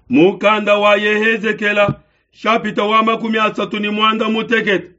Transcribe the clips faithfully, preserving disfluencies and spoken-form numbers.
Mukanda wa Yehezekela shapita wa makumi asatu ni mwanda mutekete.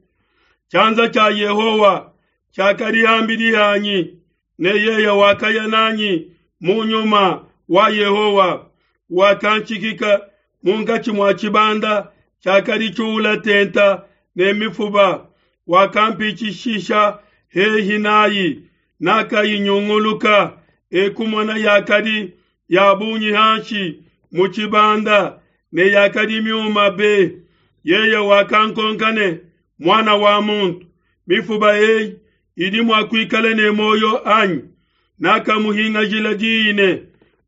Chanza cha Yehowa chakali hambili hanyi ne yeye wakaya nanyi munyuma wa Yehowa wakanchikika munkachi mwa chibanda chakali chula tenta ne mifuba wakampichishisha hehi nayi nakayinyunguluka ekumona yakali ya bunyi hanshi muchibanda ne yakali myuma be. Yeye wakankonkane mwana wa muntu mifuba eyi idi mwakwikala ne moyo anyi nakamuhinga jila diine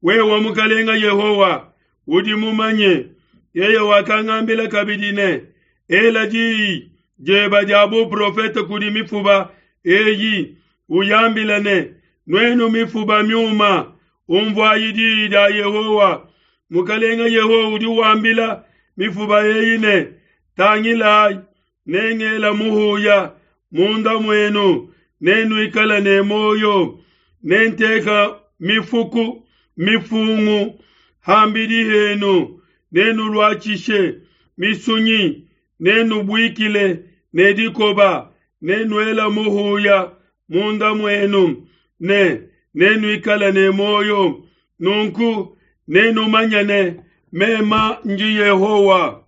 wewa mukalenga Yehowa udi mumanye. Yeye wakangambila kabidi ne ela diyi jeba dia buprofete kudi mifuba eyi uyambila ne nwenu mifuba myuma umvwayi diyi dia Yehowa. Mukalenga Yehowa udi wambila mifuba eyi ne tangilayi nengela muhuya munda mwenu nenuikala ne moyo nenteka mifuku mifungu hambili henu nenulwachishe misunyi nenubwikile nedikoba nenuela muhuya munda mwenu ne nenuikala ne moyo nunku nenumanyane mema nji Yehowa.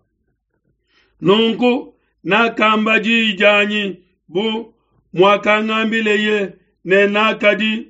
Nunku nakamba diyi dianyi bu mwakangambile ne nakadi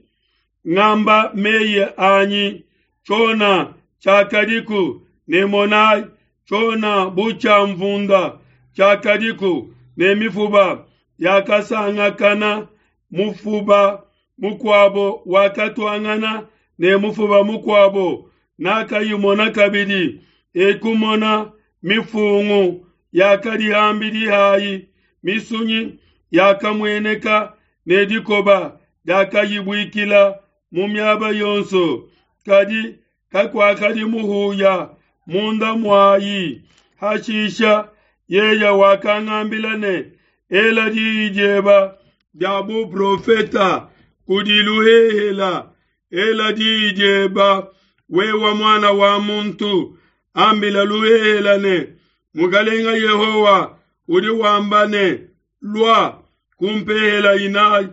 ngamba meye anyi chona chakadiku ne monai chona bucha mvunda chakadiku ne mifuba yakasangakana mufuba mukwabo wakatwangana ne mufuba mukwabo nakayimona kabidi ekumona mifungu yakali hambili hayi misunyi yakamweneka ne dikoba yakayibwikila mu myaba yonso kadi kakwakali muhuya munda mwayi. Hashisha yeya wakangambila ne ela diyi jeba dia buprofeta kudiluhehela ela diyi jeba wewa mwana wa muntu ambila luhehela ne mukalenga Yehowa udi wamba ne lwa kumpehela inayi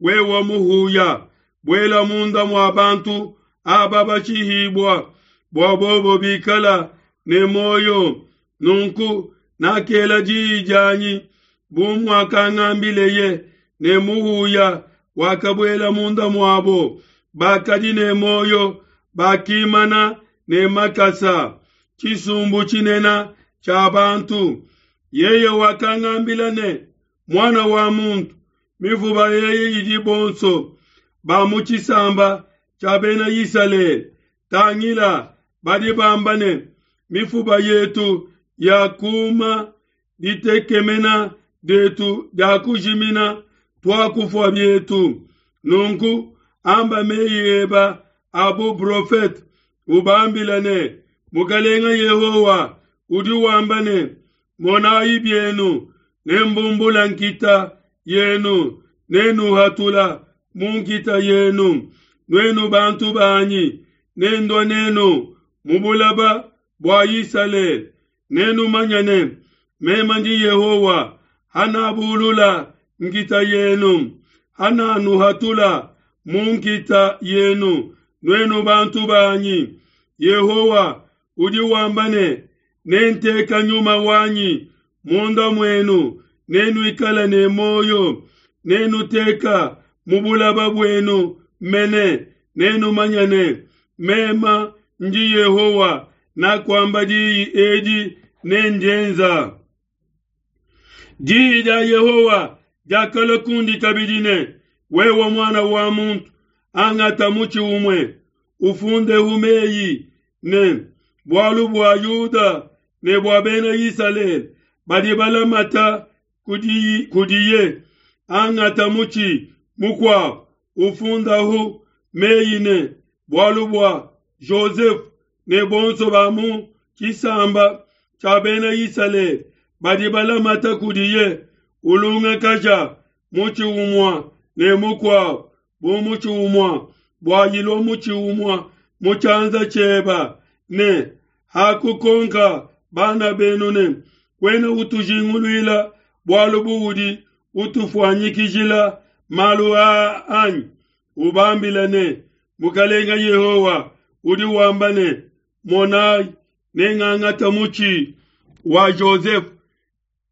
wewa muhuya bwela munda mwa bantu aba bachihibwa bwa bobo bikala ne moyo. Nunku nakela diyi dianyi bu mwakangambile ne muhuya wakabwela munda mwabo bakadi ne moyo bakimana ne makasa chisumbu chinena cha bantu. Yeye wakangambila ne mwana wa muntu mifuba yeye idi bonso ba mu chisamba cha bena Isalele tangila badi bamba ne mifuba yetu ya kuma ditekemena detu dia kujimina twakufwa byetu. Nunku amba meyi eba abu profete ubambila ne mukalenga Yehowa udi wamba ne monayi byenu nembumbula nkita yenu nenuhatula munkita yenu nwenu bantu banyi nendwa nenu mubulaba bwa Isalele nenumanyane mema ndi Yehowa hanabulula nkita yenu hananuhatula munkita yenu nwenu bantu banyi. Yehowa udi wamba ne nenteka nyuma wanyi munda mwenu nenuikala ne moyo nenuteka mubulaba bwenu mene nenumanyane mema ndi Yehowa nakwamba diyi edi nenjenza. Diyi dia Yehowa diakala kundi kabidi ne wewe mwana wa muntu angata muchi umwe ufunde umeyi ne bwalu bwa Yuda ne bwa bena Isalele badi balamata kudiye kudiye angata muchi mukwa ufundahu meyi ne bwalu bwa Joseph ne bonso ba mu chisamba cha bena Isalele badi balamata kudiye ulunga kaja muchi umwa ne mukwa bu muchi umwa bwa yilo muchi umwa muchanza cheba ne Hakukonka bana benu ne, kuena utujinguluila bualu buudi utufuanyikijila malu aa anyi? Ubambile ne, Mukalenga Yehowa udi wamba ne, Monayi, nengangate mutshi wa Joseph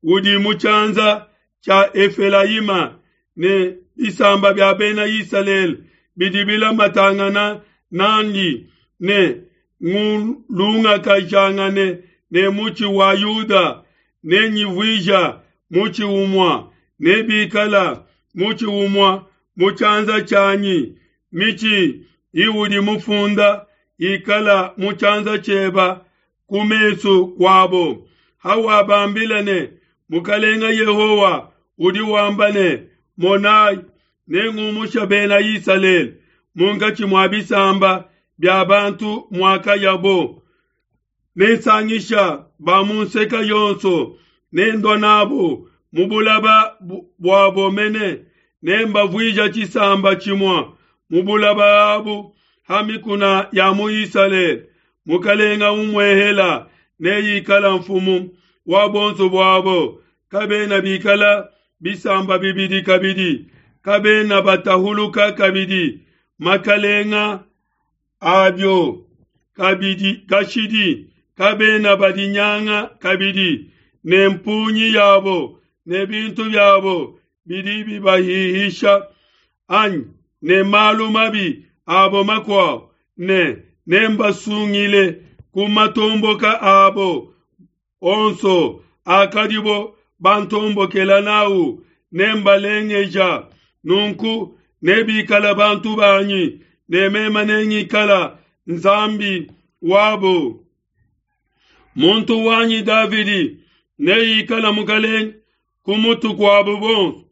udi mu tshianza tshia Efelayima ne bisamba bia bena Isalele bidi bilamatangana nandi, ne ngulungakajangane ne mutshi wa Yuda, nenyivuija mutshi umue, nebikala mutshi umue mu tshianza tshianyi. Mitshi iudi mufunda ikala mu tshianza tshieba ku mesu kuabo. Hawabambila ne, Mukalenga Yehowa udi wamba ne, Monayi, nengumusha bena Isalele munkatshi mua bisamba bia bantu muakayabo, nensangisha ba mu nseke yonso, nendua nabo mu bulaba buabo mene, nembavuija tshisamba tshimue mu bulaba abu ha mikuna ya mu Isalele. Mukalenga umuehela neikala mfumu wa bonso buabo, kabena bikala bisamba bibidi kabidi, kabena batahuluka kabidi makalenga abio kabidi kashidi, kabena badinyanga kabidi ne mpunyi yabo ne bintu byabo bidi bibahihisha anyi ne malu mabi abo makuabo, ne nembasungile ku matomboka abo onso akadibo bantombokela nawu, nembalengeja. Nunku nebikala bantu banyi, ne meme nengikala Nzambi wabo. Muntu wanyi Davidi neikala mukalenge ku mutu kuabo bonso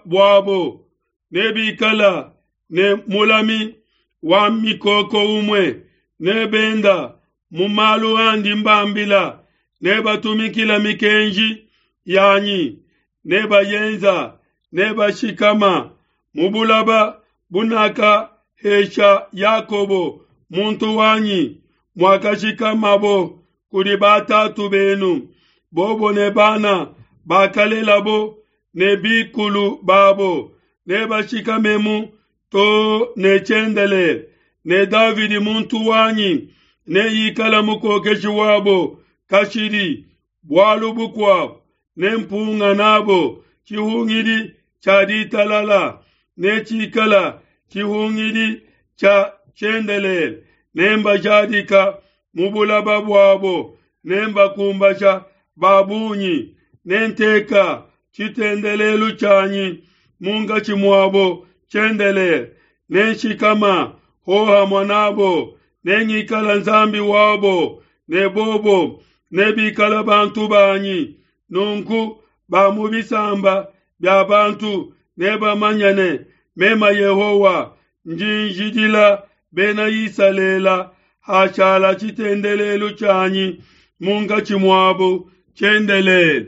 buabo, nebikala ne mulami wa mikoko umue, nebenda mu malu andi mbambila, nebatumikila mikenji yanyi, nebayenza, nebashikama mu bulaba bunakahesha Yakobo muntu wanyi, muakashikamabo kudi batatu benu, bobo ne bana bakalelabo ne bikulu babo, nebashikamemu to ne tshiendelele. Ne Davidi muntu wanyi neikala mukokeshi wabo kashidi. Bualu bukuabo nempunga nabo tshihungidi tshia ditalala, netshikala tshihungidi tshia tshiendelele. Nembajadika mu bulaba buabo, nembakumbasha ba bungi, nenteka tshitendelelu tshianyi munkatshi muabo tshiendelele. Nenshikama hohamue nabo, nengikala Nzambi wabo, ne bobo nebikala bantu banyi. Nunku ba mu bisamba bia bantu nebamanye ne, meme Yehowa ndi njidila bena Isalele hashala tshitendelelu tshianyi munkatshi muabo tshiendelele.